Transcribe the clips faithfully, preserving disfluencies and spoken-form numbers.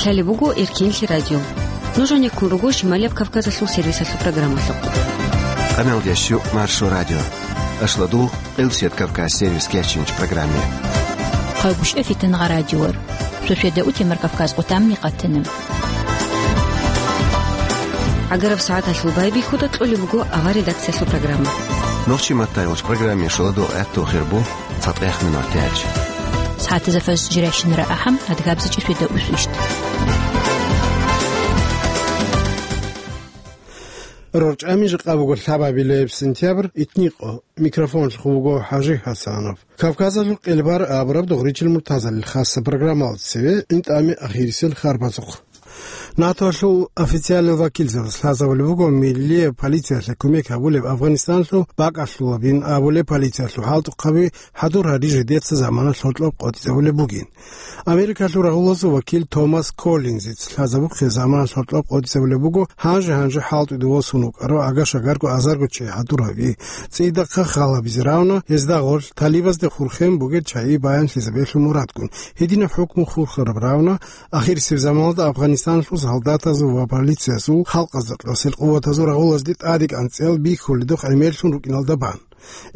Лъалеб буго Эркенлъи радио. Нуж гьанеккун руго Шималияб Кавказалъул сервисалъул программалъухъ. Къамелдещу Маршо радио. Ашладул Къилсият Кавказ сервис кечинч программе. Хъагушев Фитангъа радиор. Сосведа утемар Кавказ къутамни къатана. ГӀагараб сагӀаталъул байбихьуда кьолеб буго авар редакциялъул программа. Нохчи маттайгъуч программе шуладу гӀатту хирбу. Фатех минутач. СагӀатазда фаз жирайщинара ахӀам, адгабза чӀисвида усвищт. РорчӀами жакъа буго лъабабилеб сентябрь, итникъо. Микрофонлъухъ вуго ХӀажи ХӀасанов. Кавказалъул къелбар абураб Догъричил Муртазалил хасса программалда цеве интӀами ахирисел харбазухъ. НАТОлъул официальный вакилзабаз лъазабулеб буго миллияб полициялъе кумек гьабулеб Афганистанлъул бакӀалъулабин абулеб полициялъул хӀалтӀухъаби хӀадур гьари жидеца замана лъолъоб къотӀизабулеб бугин. Америкалъул рагъулазул вакил Томас Коллинзиц лъазабухъе замана лъолъоб къотӀизабулеб буго гьанже-гьанже хӀалтӀуде восун вукӀарав агашагарго азарго чи хӀадур гьаби, цӀидахъа хал гьабизе равна, гьезда гъорлъ талибазде хурхен бугеб чагӀи баянлъизабиялъул мурадгун, гьединаб хӀукму хурхараб равна, ахирисеб заманалда Афганистаналъул солдатазул ва полициясул халкъазда кьасел къуватазул рагъулазде тӀадекӀанцӀиял бихьуледухъ гӀемерлъун рукӀиналда бан.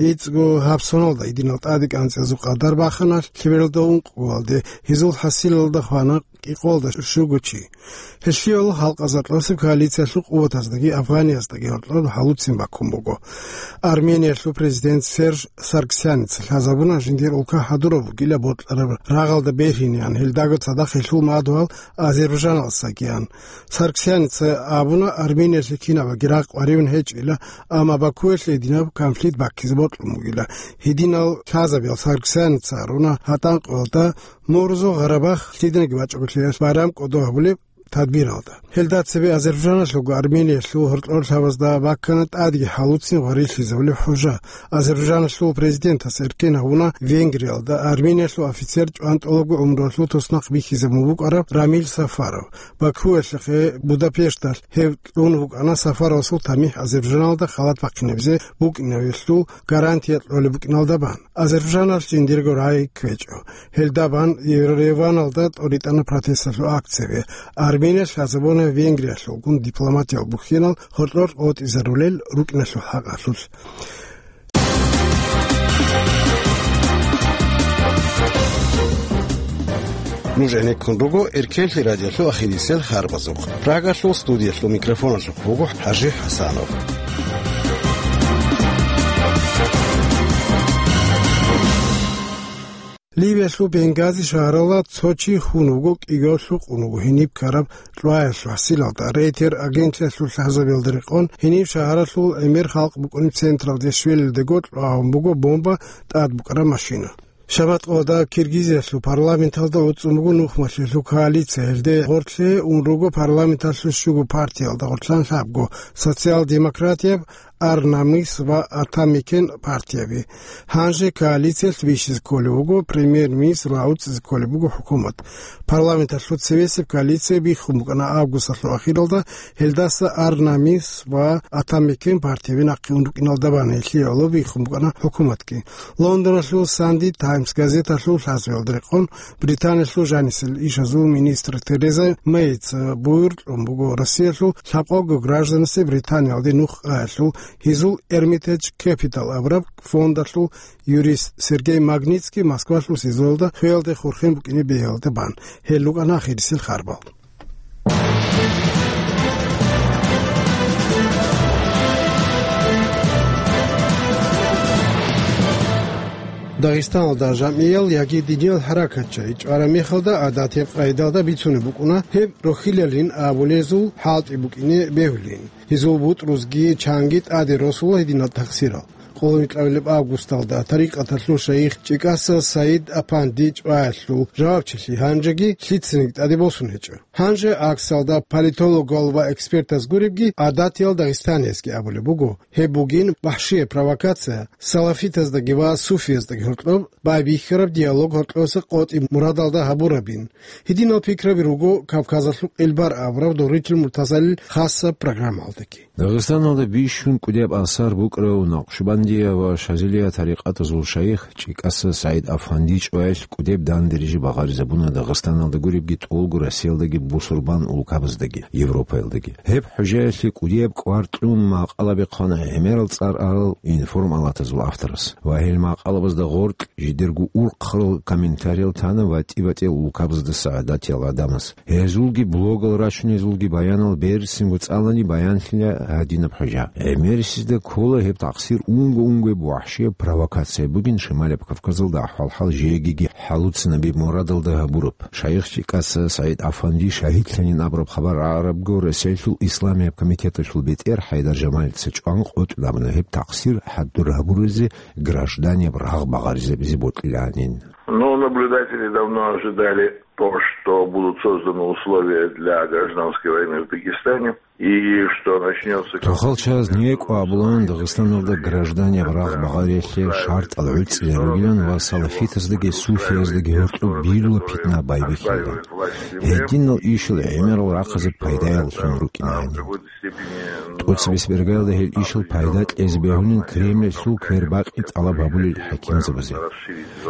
ГӀицӀго гьаб соналда гьединал тӀадекӀанцӀиязул къадар бахана лъебералда ункъгоялде, гьезул хӀасилалда хвана кӀикъоялда щуго чи. Гьелъиялъул халкъазда кьасеб коалициялъул къуватаздаги Афганияздаги гьоркьоб хӀалуцин баккун буго. Армениялъул президент Серж Сарксяница лъазабуна жиндир улка хӀадураб бугила бокьараб рагъалда бергьинеян, гьелдаго цадахъ гьелъул мадугьал Азербайджаналдасагиян. Сарксяница абуна, Армениялъе кинабаги рагъ къваригӀун гьечӀила, амма Бакуялъ гьединаб конфликт баккизе бокьун бугила. Гьединал лъазабиял Сарксяница гьаруна гьатӀанкъоялда Мурзу Гъарабах лъиданиги бачӀунеб байрам кӀодо гьабулеб тадбиралда. Гьелда цебе Азербайджаналъулго Армениялъул гьоркьор лъабазда баккана тӀадги хӀалуцин гъварилъизабулеб хӀужа. Азербайджаналъул президентас эркен гьавуна Венгриялда Армениялъул офицер чӀван тӀолабго гӀумруялъул туснахъ бихьизабун букӀараб Рамил Сафаров. Бакуялъухъе Будапешталъ гьев кьун вукӀана Сафаровасул тамихӀ Азербайджаналда халат бахъинабизе букӀинавилъул гарантия кьолеб букӀиналда бан. Азербайджаналъ жиндирго рагӀи кквечӀо. Гьелда бан Ереваналда тӀоритӀана протесталъул акцияби. Армения лъазабуна Венгриялъулгун дипломатиял бухьинал гьоркьор къотӀизарулел рукӀиналъул хӀакъалъулъ. Нуж гӀенеккун руго Эркенлъи радиолъул ахирисел харбазухъ. Прагалъул студиялъул микрофоналъухъ вуго ХӀажи ХӀасанов. Ливиялъул Бенгази шагьаралда цо чи хун вуго, кӀигоялъул къун вуго гьениб ккараб кьваялъул хӀасилалда. Рейтер агентлъиялъул лъазабиялда рекъон, гьениб шагьаралъул гӀемер халкъ букӀунеб централде щвелелдего кьвагьун буго бомба тӀад букӀараб машина. Шабаткъоялда Киргизиялъул парламенталда гӀуцӀун буго нухмалъиялъул коалиция. Гьелде гъорлъе ун руго парламенталъул щуго партиялда гъорлъан лъабго, социал-демократияб, Ар-Намис ва Атамекен партияби. Гьанже коалициялъ бищизе кколеб буго премьер-министр ва уцӀизе кколеб буго хӀукумат. Парламенталъул цевесеб коалиция биххун букӀана августалъул ахиралда, гьелдаса Ар-Намис ва Атамекен партияби нахъе ун рукӀиналда бан, гьелъие гӀоло биххун букӀана хӀукуматги. Лондоналъул Санди Таймс газеталъул лъазабиялда рекъон, Британиялъул жанисел ишазул министр Тереза Мейица буюр кьун буго Россиялъул лъабкъого гражданасе Британиялде нух аялъул гьезул Эрмитедж Кепитал абураб фондалъул юрист Сергей Магнитский Москвалъул СИЗОялда хвеялде хурхен букӀине бегьиялда бан. Гьел рукӀана ахирисел харбал. Дагъистаналда жамгӀиял яги диниял хӀаракатчагӀи чӀвараб мехалда гӀадатияб къайдалда бицунеб букӀуна гьеб рохьилалин абулезул хӀалтӀи букӀине бегьулин. Гьезул бутӀрузги чанги тӀаде росула гьединал тахсирал. Къоло витӀабилеб августалда тарикъаталъул шайих ЧӀикӀаса Саид Апанди чӀваялъул жавабчилъи гьанжеги лъицаниги тӀаде босун гьечӀо. Гьанже гӀаксалда политологал ва экспертаз гуребги гӀадатиял дагъистаниязги абулеб буго, гьеб бугин вахӀшияб провокация, салафитаздаги ва суфияздаги гьоркьоб байбихьараб диалог гьоркьоса къотӀи мурадалда гьабурабин. Гьединал пикраби руго Кавказалъул къилбар абураб Догъричил Муртазалил хасаб программалдаги. Дагъистаналда бищун кӀудияб асар букӀарав Накъшбанди Кадирия ва Шазилия тарикъатазул шайих ЧӀикӀаса СагӀид Афанди чӀваялъ кӀудеб данде рижи багъаризабуна Дагъистаналда гуребги тӀолго Россиялдаги бусурбан улкабаздаги, Европаялдаги. Гьеб хӀужаялъе кӀудияб кӀвар кьун макъала бихъана гӀемерал цӀар арал информалатазул авторас. Ва гьел макъалабазда гъоркь жидерго урхъарал комментариял тана ватӀи-ватӀиял улкабазда сагӀадатиял гӀадамаз. Гьезулги блогал рачунезулги баянал берцинго цӀалани баянлъила гьадинаб хӀужа. ГӀемерисезда ккола гьеб такъсир унго-унгояб вахӀшияб провокация бугин Шималаб Кавказалда ахӀвал-хӀал жегиги хӀалуцинабеб мурадалда гьабураб. Шайихчи кӀаса СагӀид Афанди шагьидлъанин абураб хабар гӀарабго Россиялъул Исламияб комитеталъул бетӀер ХӀайдар Жамалица чӀван къотӀун абуна гьеб такъсир хӀадур гьабуразе гражданияб рагъ багъаризабизе бокьилаанин. Ну, наблюдатели давно ожидали то, что будут созданы условия для гражданской войны в Дагестане, и что начнется... Тухал чаз некӀва абулан Дагъистаналда гражданияб рагъ багъариялъе шартӀал гӀуцӀизарулилан ва салафитаздаги суфияздаги гьоркьоб бирла питна байбихьилан. Гьединал ишал гӀемерал рахъазе пайдаялъун рукӀинани. ТӀоцебесеб иргаялда гьел ишал пайда кьезе бегьулин Кремльалъул квербакъи тӀалаб гьабулел хӀакимзабазе.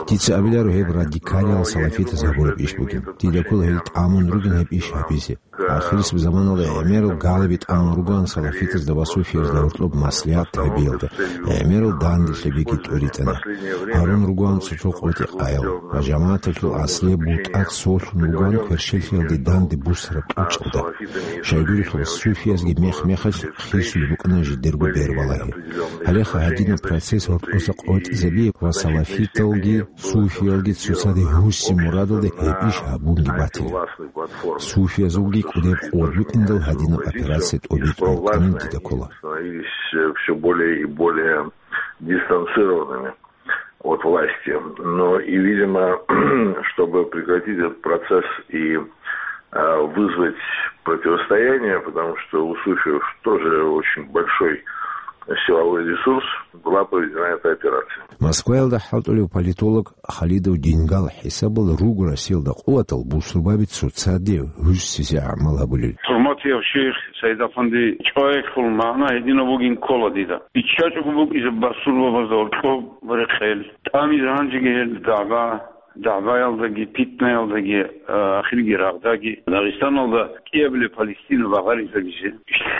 Дица абиларо гьеб радикалиял салафитаз гьабураб иш бугин. Дида ккола гьел тӀамун ругин гьеб иш гьабизе. Ахирисеб заманалда гӀемерал галаби тӀамун ругоан салафитазда ва суфиязда гьоркьоб маслигӀат гьабиялда, гӀемерал данделъабиги тӀуритӀана. Гьарун ругоан цо-цо къотӀи-къаял ва жамагӀаталъул аслияб бутӀакъ солъун ругоан кверщелъиялде данде бусараб тӀучӀалда. Щайгурелъул суфиязги мех-мехалъ хисулеб букӀана жидерго бербалагьи. Гьалеха гьадинаб процесс гьоркьоса къотӀизабияб ва салафиталги суфиялги цоцаде гьуси мурадалде гьеб иш гьабунги батила. Суфиязулги кӀудеб къуват букӀиндал гьадинаб операция тӀобитӀун вукӀанин дида ккола. Становились все более и более дистанцированными от власти. Но и, видимо, чтобы прекратить этот процесс и э, вызвать противостояние, потому что у суфиев тоже очень большой силовой ресурс, была проведена эта операция. Москваялда хӀалтӀулев политолог Халидов Дингал хӀисабал руго Россиялда къуватал бусурбаби цоцаде гьуссизе гӀамал гьабулел. ХӀурматияв шейх Саид Афанди, чӀваялъул магӀна гьединаб бугин ккола дида. ИччачӀого букӀизе басурбабазда гьоркьоб рекъел, тӀамизе гьанжеги гьел дагӀба, дагӀбаялдаги, питнаялдаги, а, ахирги рагъдаги Дагъистаналда кӀиабилеб Палестина багъаризабизе.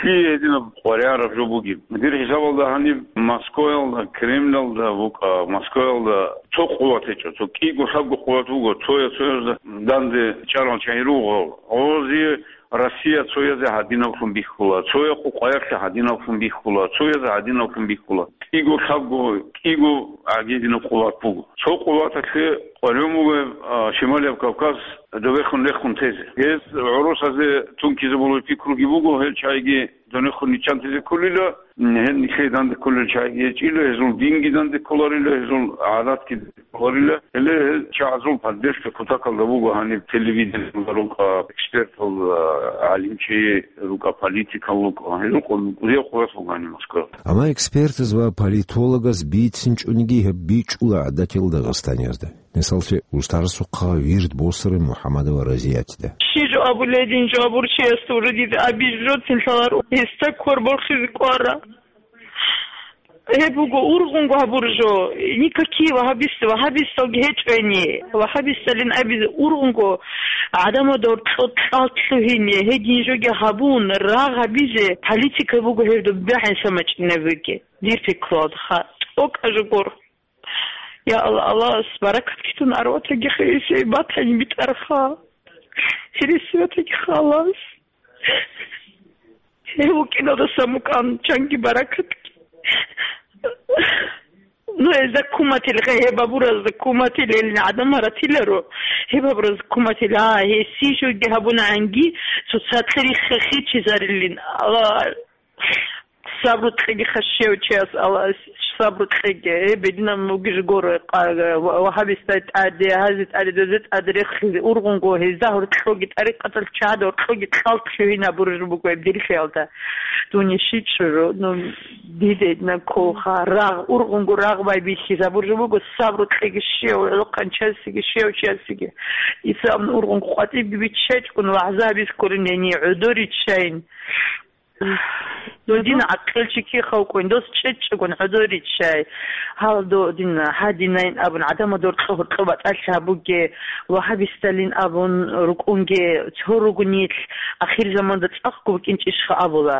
Лъие гьединаб къваригӀараб жо бугеб? Дир хӀисабалда гьаниб Москваялда, Кремлалда букӀа, Москваялда цо къуват гьечӀо, цо кӀиго-лъабго къуват буго, цоя-цоязда данде чӀарал чагӀи руго. Гъози Россия цоязе гьадинаблъун бихьула, цоя къукъаялъе гьадинаблъун бихьула, цоязе гьадинаблъун бихьула. КӀиго-лъабго, кӀиго гӀагидинаб къуват буго. Цо къуваталъе къваригӀун буго, а, Шималияб Кавказ добехун рехун тезе. Гьез гӀурусазе тункизабулеб пикруги буго, гьел чагӀиги донехун ниччан тезе кколила, гьел нилъее данде кколел чагӀиги гьечӀила, гьезул динги данде кколарила, гьезул гӀадатги кколарила, гьеле гьел чагӀазул поддержка кутакалда буго гьаниб телевидениялда рукӀа, экспертал, а, гӀалимчи рукӀа, политикал рукӀа, гьезул къо-, кӀудияв къуват буго гьаниб Москваялда. Амма экспертаз ва политологаз бицинчӀониги гьеб бичӀчӀула гӀадатиял Дагъистаниязда. Мисаллъи, устарасухъа вирд босараб МухӀаммадова Разиятида. Щи жо абуледин жо абурчиясда уродида абиз жо цинлъалар гьесда квер борхизе кӀвара. Гьеб буго ургъунго гьабур жо. Никакие вагьабист, вагьабисталги гьечӀони. Вагьабисталин абизе ургъунго гӀадамада гьоркьо кьал лъугьине, гьедин жоги гьабун, рагъ гьабизе политика буго гьеб дуббихӀин самачӀинабиги. Дир пикруялда ха, тӀокӀа жо гур. Я Аллагь, Аллагьас баракат ккун арватаги хирисей батани битӀарха. Хирисиятаги халас. Гьев вукӀиналдаса мукӀан чанги баракат. Ну, гьезда куматил, гьеб абуразда куматил, гьелин гӀадамал ратиларо. Гьеб абуразда куматил, а, гьесие жоги гьабунаанги, цоцалъе рихха хичизарилин. Аллагь, сабру кьеги хашияв чияс, Аллагьас сабру кьеги. Э, бедина мугиж горо, ва-, вагьабистай тӀаде, гьази тӀаде, дозе тӀаде рехлъизе ургъунго, гьезда гьоркьоги тӀарикъатал чагӀада гьоркьоги кьал лъугьинабураб буго гьеб дир хиялда. Дуне щичӀого, ну, диде на колха, рагъ, ургъунго рагъ байбихьизабураб буго, сабру кьеги щияв, гӀолохъанчасеги, щияв чиясеги. Исламни ургъунго къватӀибги биччачӀун, вагӀза гьабиз кколин гьенир, гӀодор риччайин. Додин гӀакъилчи кихавкӀун, дос чӀечӀчӀагун гӀодориччай. Гьал додин гьадинайн абун, гӀадамал доркьо-гьоркьо батӀалъи гьабуге, вагьабисталин абун рукӀунге, цо ругунилъ, ахир заманда цӀакъго букӀинчӀищха абула.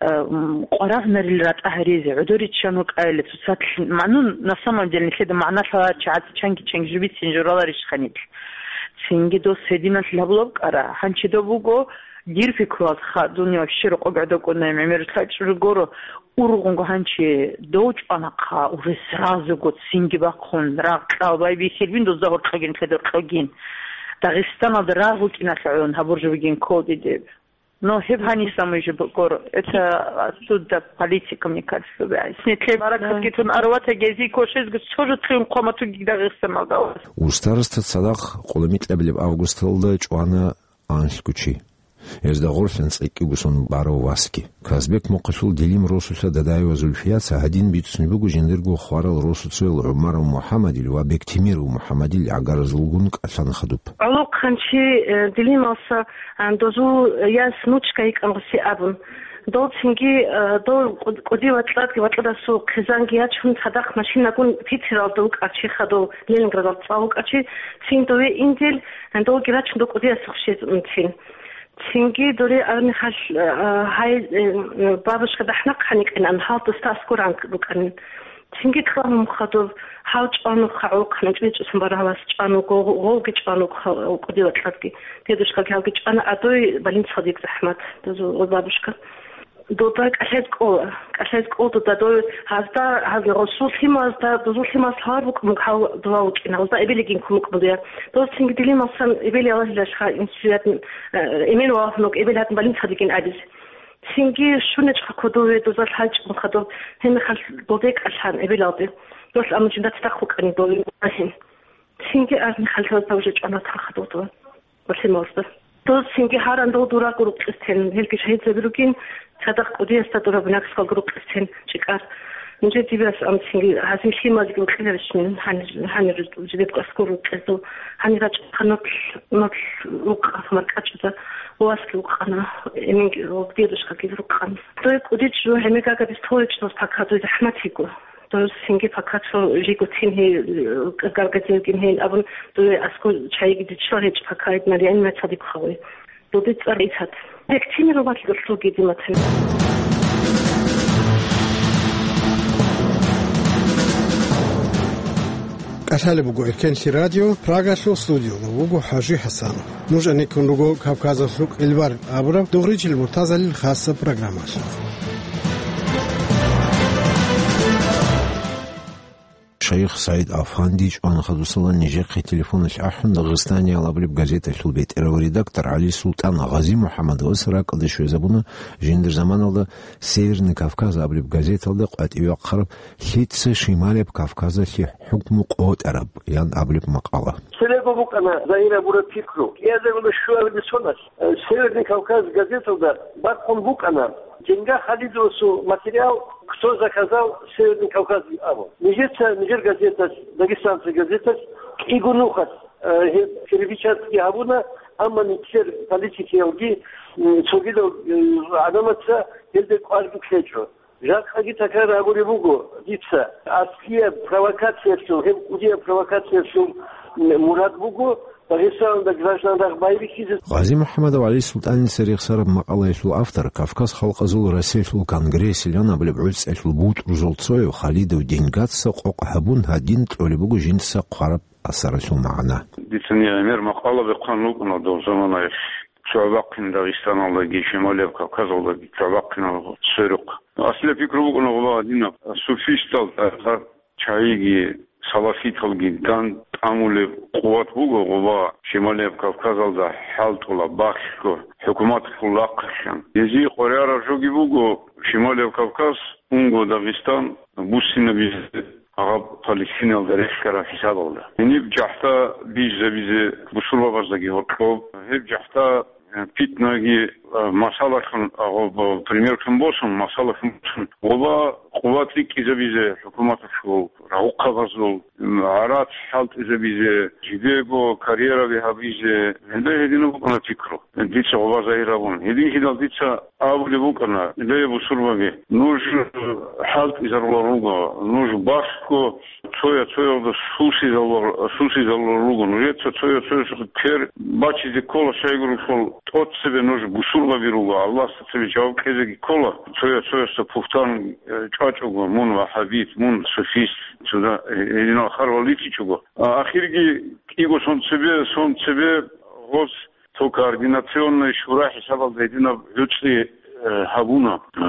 Э, м, къварагӀунарил ратӀа гьаризе, гӀодориччан вукӀайиле, цоцалъ магӀнун, на самом деле, нилъеда магӀна лъаларчи гӀад чанги-чанги жубицин жураларищха нилъ? Цинги дос гьединалъ гьабулаб кӀара, гьанчидаб буго, дир пикруялдха дунъя вообще рокъоб гӀодокӀунаем, гӀемерулъа чӀужугоро, ургъунго гьанчи дов чӀванахъа, уже сразуго цинги бахъун, рагъ кьал байбихьилбин дозда гьоркьогин, лъедоркьогин. Дагъистаналда рагъ букӀиналъагӀун гьабур жо бугин кколдидеб. Но гьеб гьаниса муй жо букӀур. Это оттуда политика, мне кажется, бегӀ. Снитлъе баракатги тун арвата гези кошезго цо жо цуюн хъваматуги Дагъистаналда. Устарасда цадахъ къулумикьабилеб августалда чӀвана анлъго чи. Гьезда гъорлъан цӀикӀкӀиго сон барав васги. Казбек мухъалъул Дилим росулъа Дадаева Зульфияца гьадин бицунеб буго жиндирго хварал росуцоял ГӀумаров МухӀамадил ва Бектимиров МухӀамадил гӀагаразулгун кӀалъана хадуб. ГӀолохъанчи, э, Дилималса, а, дозул яс Нучка йикӀан гъуси абун. Дол цинги, э, дол кӀуд-, кӀуди вакьадаги вакьадасул хъизанги ячун, цадахъ машинагун Питералда вукӀарчи хадув, Ленинградалда цӀал вукӀарчи, цин дове индил, э, долги рачун дол кӀудиясухъ щезун цин. Цинги доре армихалъ, а, гьай, э, бабушка дагьнахъ гьаникъинан, гьал дустас гуранг букӀанин. Цинги кьван мухъадур гьав чӀван вуха гӀолохъанав чӀвечӀосан барагьалас чӀван вуго, гъовги чӀван вуха кӀуди вакьадги. Дедушкаги гьавги чӀвана, а дой больницаялда йикӀ захӀмат, дозул бабушка. Дода кӀалъайз кӀола, кӀалъайз кӀол дода дой гьазда, гьазда гъосул лъималазда, дозул лъималаз гьавар букӀун буго гьав дова вукӀина, гьазда эбелигин ккун букӀун буго я. Доз цинги Дилималсан эбел Аллагьилалъха инсуятн, э, эмен валгьун вуго, эбел гьадин больницаялдагин абизе. Цинги щунечӀха кодове доза лъалчӀун хадуб, гьебмехалъ болде кӀалъан эбелалде. Дос амма жинда цадахъ вукӀани дове вугьин. Цинги армихалъ доза уже чӀвана хадуб дова. Ва лъималазда. Дос цинги гьаран дов дураго рукъистен, гьелги шагьидзаби ругин, цадахъ кӀудиясда дураб нахъсалго рукъистен чӀикӀар. Нижер дибирас ам цинги гьазил лъималги рукъиларищ мин гьанир, гьанир жидебго аскӀор рукъезул, гьанир рачӀахъа нутлъ, нутлъ рукъа маркӀачӀуда, васги вукъана, эменги, дедушкаги рукъана. Дой кӀудичӀ жо гьемегагабиз толечӀоз пакадуй захӀмат йиго. Дой цинги пакацо жиго цин гьей, э, гаргадевгин гьейин абун, дой аскӀо чайиги дичила гьечӀ пакаид Марияни мацадиб хавай. Додит цӀар Исат. Бектимир валъго лъуги диматин. КӀалъалеб буго Эркенлъи радио, Прагалъул студиялда вуго ХӀажи ХӀасанов. Нуж гӀенеккун руго Кавказалъул кьилбар абураб Дугъричил Муртазалил хасаб программалъ. Шайх СагӀид Афанди чӀван хадусала нижехъе телефоналъ ахӀун, Дагъистаниял абулеб газеталъул бетӀерав редактор ГӀали Султан Гъази-МухӀаммадовас ракӀалде щвезабуна жиндир заманалда Северный Кавказ абулеб газеталда къватӀиве вахъараб Лъица Шималияб Кавказалъе хӀукму къотӀараб? Ян абулеб макъала. Цебего букӀана загьир гьабураб пикру. КӀиазарулда щуабилеб соналъ, э, Северный Кавказ газеталда бахъун букӀана Дженга Халидовасул материал «Кто заказал Северный Кавказ?» абун. Нижеца, нижер газеталъ, Дагестанцы газеталъ кӀиго нухалъ, э, гьеб перепечатки гьабуна, амма нилъер политикиялги, м, цогидал, э, гӀадамаца гьелде кӀварги кьечӀо. Жакъаги такрар гьабулеб буго дица, аслияб провокациялъул, гьеб кӀудияб провокациялъул мурад буго Дагъистаналда граждан рагъ байбихьизе. Гъази-МухӀаммадов ГӀали Султаница рехсараб макъалаялъул автор, Кавказ халкъазул Россиялъул конгрессилан абулеб гӀуцӀиялъул бутӀрузул цояв Халидов Деньгаца къокъ гьабун гьадин кьолеб буго жинца хъвараб асаралъул магӀна. Дицани гӀемер макъала бехъан рукӀуна дов заманаялъ. ЦогӀбахъин Дагъистаналдаги, Шималияб Кавказалдаги цогӀбахъинал сверухъ. Аслияб пикру букӀуна гъуба гьадинаб: суфистал тӀагӀар чагӀиги салафиталги дандтӀамулеб къуват буго гъуба Шималияб Кавказалда хӀалтӀула бахлъго хӀукуматалъул рахъалъан. Гьезие къваригӀараб жоги буго Шималияб Кавказ, унго Дагъистан буссинабизе гьаб Палестиналда рехьараб хӀисабалда. Гьениб жахӀда бижизабизе бусурбабаздаги гьоркьоб, гьеб жахӀда, э, питнаги А, масалалъун, а, гъоб-, примерлъун босун, масалалъун босун, гъоба къуват рикӀкӀизабизе хӀукуматалъул, рагъухъабазул, м, гӀарац хӀалтӀизабизе, жидего карьераби гьабизе, гьелда гьединаб букӀана пикру. Дица гъоба загьир гьабун. Гьединлъидал дица абулеб букӀана, ле, бусурбаби, нуж хӀалтӀизарулел руго, нуж балъго цоя-цоялда сусизалур-, сусизалурел руго. Нужеца цоя-цоясухъе квер бачизе ккола, щайгурелъул тӀоцебе нуж бусурбаби руго, Аллагьасда цебе жаваб кьезеги ккола, цоя-цоясда пухтан, э, чӀвачӀого, мун ваххабит, мун суфист, цуда, э, гьединал харвал ритӀичӀого. А, ахирги кӀиго сон цебе, сон цебе гъоз цо координационный шура хӀисабалда гьединаб гӀуцӀи, э, гьабуна. Э,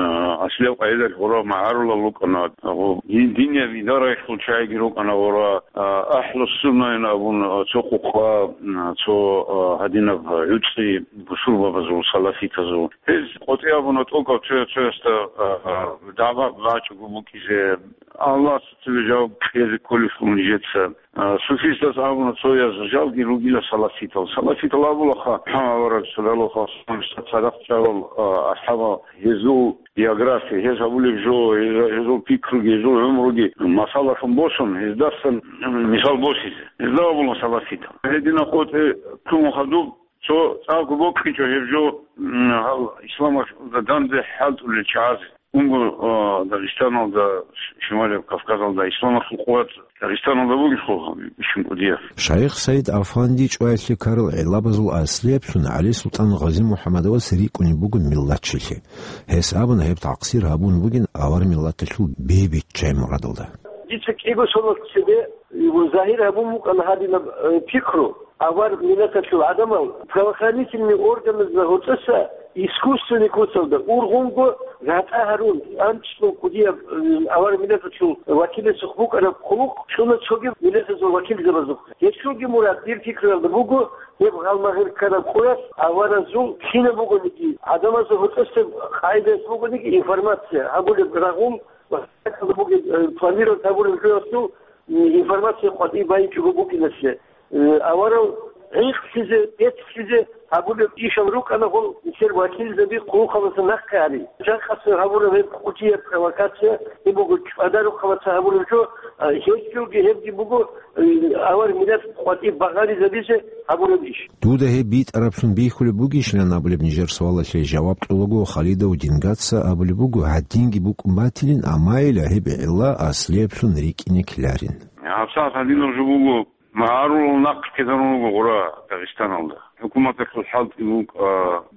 аслияб къайдалъ гъура магӀарулал рукӀана, гъо-, дин-, динияб идараялъул чагӀиги рукӀана гъура, э, ахӀлу суннайин абун, э, цо къукъа, э, цо, э, гьадинаб гӀуцӀи бусурбабазул, салафитазул. Гьез къотӀи абуна тӀокӀав цоя-цоясда, э, э, дагӀба бачӀого букӀизе, Аллагьасда цебе жаваб кьезе кколелъул нижеца. А, суфистас абуна, цояз жалги ругила салафитал. Салафитал абулаха, МухӀаммад авараг саллаллаху алейхи ва саллям, цадахъ чӀарал, а, асхӀабал, гьезул биография, гьез гьабулеб жо, гьез-, гьезул пикруги, гьезул гӀумруги масалалъун босун, гьездасан, м, мисал босизе. Гьезда абула салафитал. Гьедина къотӀи ккун хадуб, цо цӀакъго бокьичӀо гьеб жо, м, гьал исламалда данде хӀалтӀулел чагӀазе. Унго, а, Дагъистаналда, Шималияб Кавказалда исламалъул къуват Дагъистаналда бугелъулха бищун кӀудияб. Шайх Саид Афанди чӀваялъе ккарал гӀиллабазул аслияб лъун ГӀали-Султан Гъази-МухӀаммадовас рикӀкӀунеб буго миллатчилъи. Гьес абуна, гьеб такъсир гьабун бугин авар миллаталъул бебиччай мурадалда. Дица кӀиго соналъ цебе, э, загьир гьабун букӀана гьадинаб, э, пикру. Авар миллаталъул гӀадамал правоохранительный органазда гьорцӀоса искусственный куцалда ургъунго ратӀа гьарун, анцӀго кӀудияб, э, авар миллаталъул вакиласухъ букӀараб хъулухъ чӀуна цоги миллатазул вакилзабазухъе. Гьелъулги мурад, дир пикралда буго, гьеб гьалмагъир ккараб къоялъ аваразул кинаб бугониги, гӀадамазда гьорцӀоса къайдаялъ бугониги информация гьабулеб рагъул ва гьакъалда бугеб, э, планировать гьабулеб жоялъул, м, информация къватӀиб байинчӀого букӀиналъе. Э, аварал гӀинкълъизе, бецлъизе гьабулеб ишал рукӀана гьол нилъер вакилзаби хъулухъаласа нахъе гьари. Жакъасеб гьабураб гьеб кӀудияб провокация, гьеб буго чӀвадарухъаласа гьабураб жо, а, гьелъулги гьебги буго, э, авар миллат къватӀиб багъаризабизе гьабураб иш. Дуда гьеб битӀараблъун бихьулеб бугищилан абулеб нижер суалалъе жаваб кьолаго Халидов Дингаца абулеб буго, гьадинги букӀун батилин, амайила гьеб гӀилла аслияб лъун рикӀкӀине ккеларин. ГьабсагӀат гьадинаб жо буго, магӀарулал нахъ ккезарун руго гъура Дагъистаналда. ХӀукуматалъул хӀалтӀи букӀа,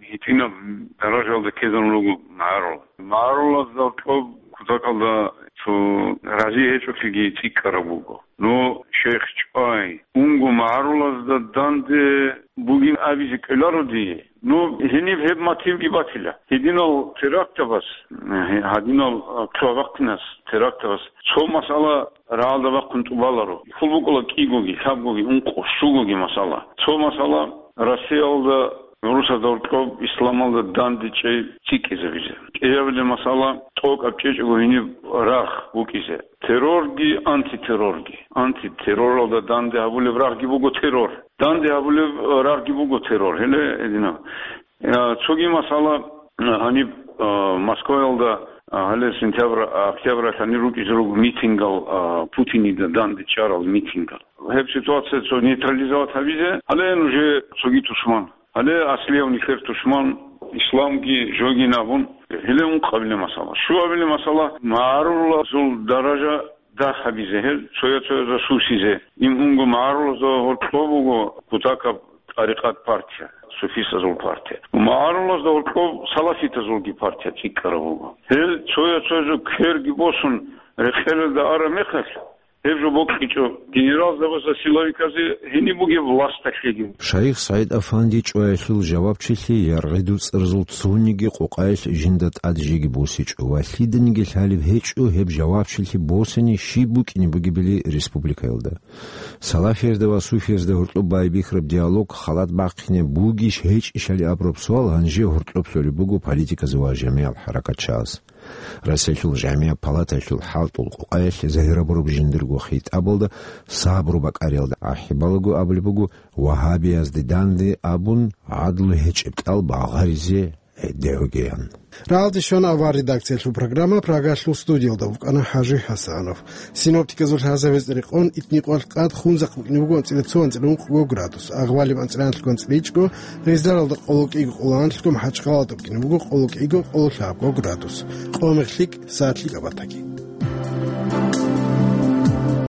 гьитӀинаб даражалда ккезарун руго магӀарул. МагӀарулазда кьоб кутакалда цо рази гьечӀолъиги цӀикӀкӀараб буго. Ну, шейх чӀвай, унго магӀарулазда данде бугин абизе кӀоларо дие. Ну, гьениб гьеб мотивги батила. Гьединал терактабаз, гье-, гьадинал, а, цо абахъинас терактабаз цо масъала рагӀалда бахъун тӀубаларо. Хьул букӀула кӀигоги, лъабгоги, ункъо, щугоги масъала. Цо масъала Россиялда гӀурусазда гьоркьоб исламалда данде чӀей цӀикӀкӀизабизе. КӀиабилеб масъала тӀокӀаб чӀечӀого гьениб рагъ букӀизе. Террорги, антитеррорги. Антитерроралда данде гьабулеб рагъги буго террор. Данде гьабулеб рагъги буго террор. Гьеле гьединаб. Я, цоги масъала, гьаниб, а, Москваялда, а, гьале сентябрь, а, октябрьалъ гьанир рукӀизе руго митингал, а, Путинида данде чӀарал митингал. Гьеб ситуация цо нейтрализовать гьабизе, гьале нужее цоги тушман. Гьале аслияв нилъер тушман исламги, жогин абун, гьеле ункъабилеб масъала. Щуабилеб масъала, магӀарулазул даража дагь гьабизе гьел, цоя-цоязда сусизе. Им унго магӀарулазда гьоркьоб буго кутакаб тӀарикъат партия, суфистазул партия. МагӀарулазда гьоркьоб салафитазулги партия цӀикӀкӀараб буго. Гьел цоя-цоязул кверги босун рекъелалда араб мехалъ, гьеб жо бокьичӀо генералзабазда, силовиказда гьениб бугеб власталъеги. Шайх СагӀид-Афанди чӀваялъул жавабчилъи яргъи-дуцӀразул цониги къокъаялъ жинда тӀад жеги босичӀо ва лъиданиги лъалеб гьечӀо гьеб жавабчилъи босани щиб букӀине бугебали республикаялда. Салафиязда ва суфиязда гьоркьоб байбихьараб диалог халат бахъине бугищ-гьечӀищали абураб суал гьанже гьоркьоб лъолеб буго политиказе ва жамигӀал хӀаракатчияс. Россиялъул жамигӀат палатаялъул хӀалтӀул къокъаялъ загьирабураб жиндирго хитӀабалда сабру бакӀариялда ахӀи балаго абулеб буго, вагьабиязде данде абун, гӀадлу гьечӀеб кӀал багъаризе гьедигьугеян. Рагьалде щвана авар редакциялъул программа, Прагалъул студиялда вукӀана ХӀажи ХӀасанов. Синоптиказул лъазабизе рекъон, итни къвалъ къад хунзахъ букӀине буго анцӀила цо, анцӀила ункъго градус, агъвалиб анцӀила анлъго, анцӀила ичӀго, гъизаралда къоло кӀиго, къоло анлъго, МахӀачхъалалда букӀине буго къоло кӀиго, къоло лъабго градус. Къо мехлъи сагӀат лъикӀаб батаги.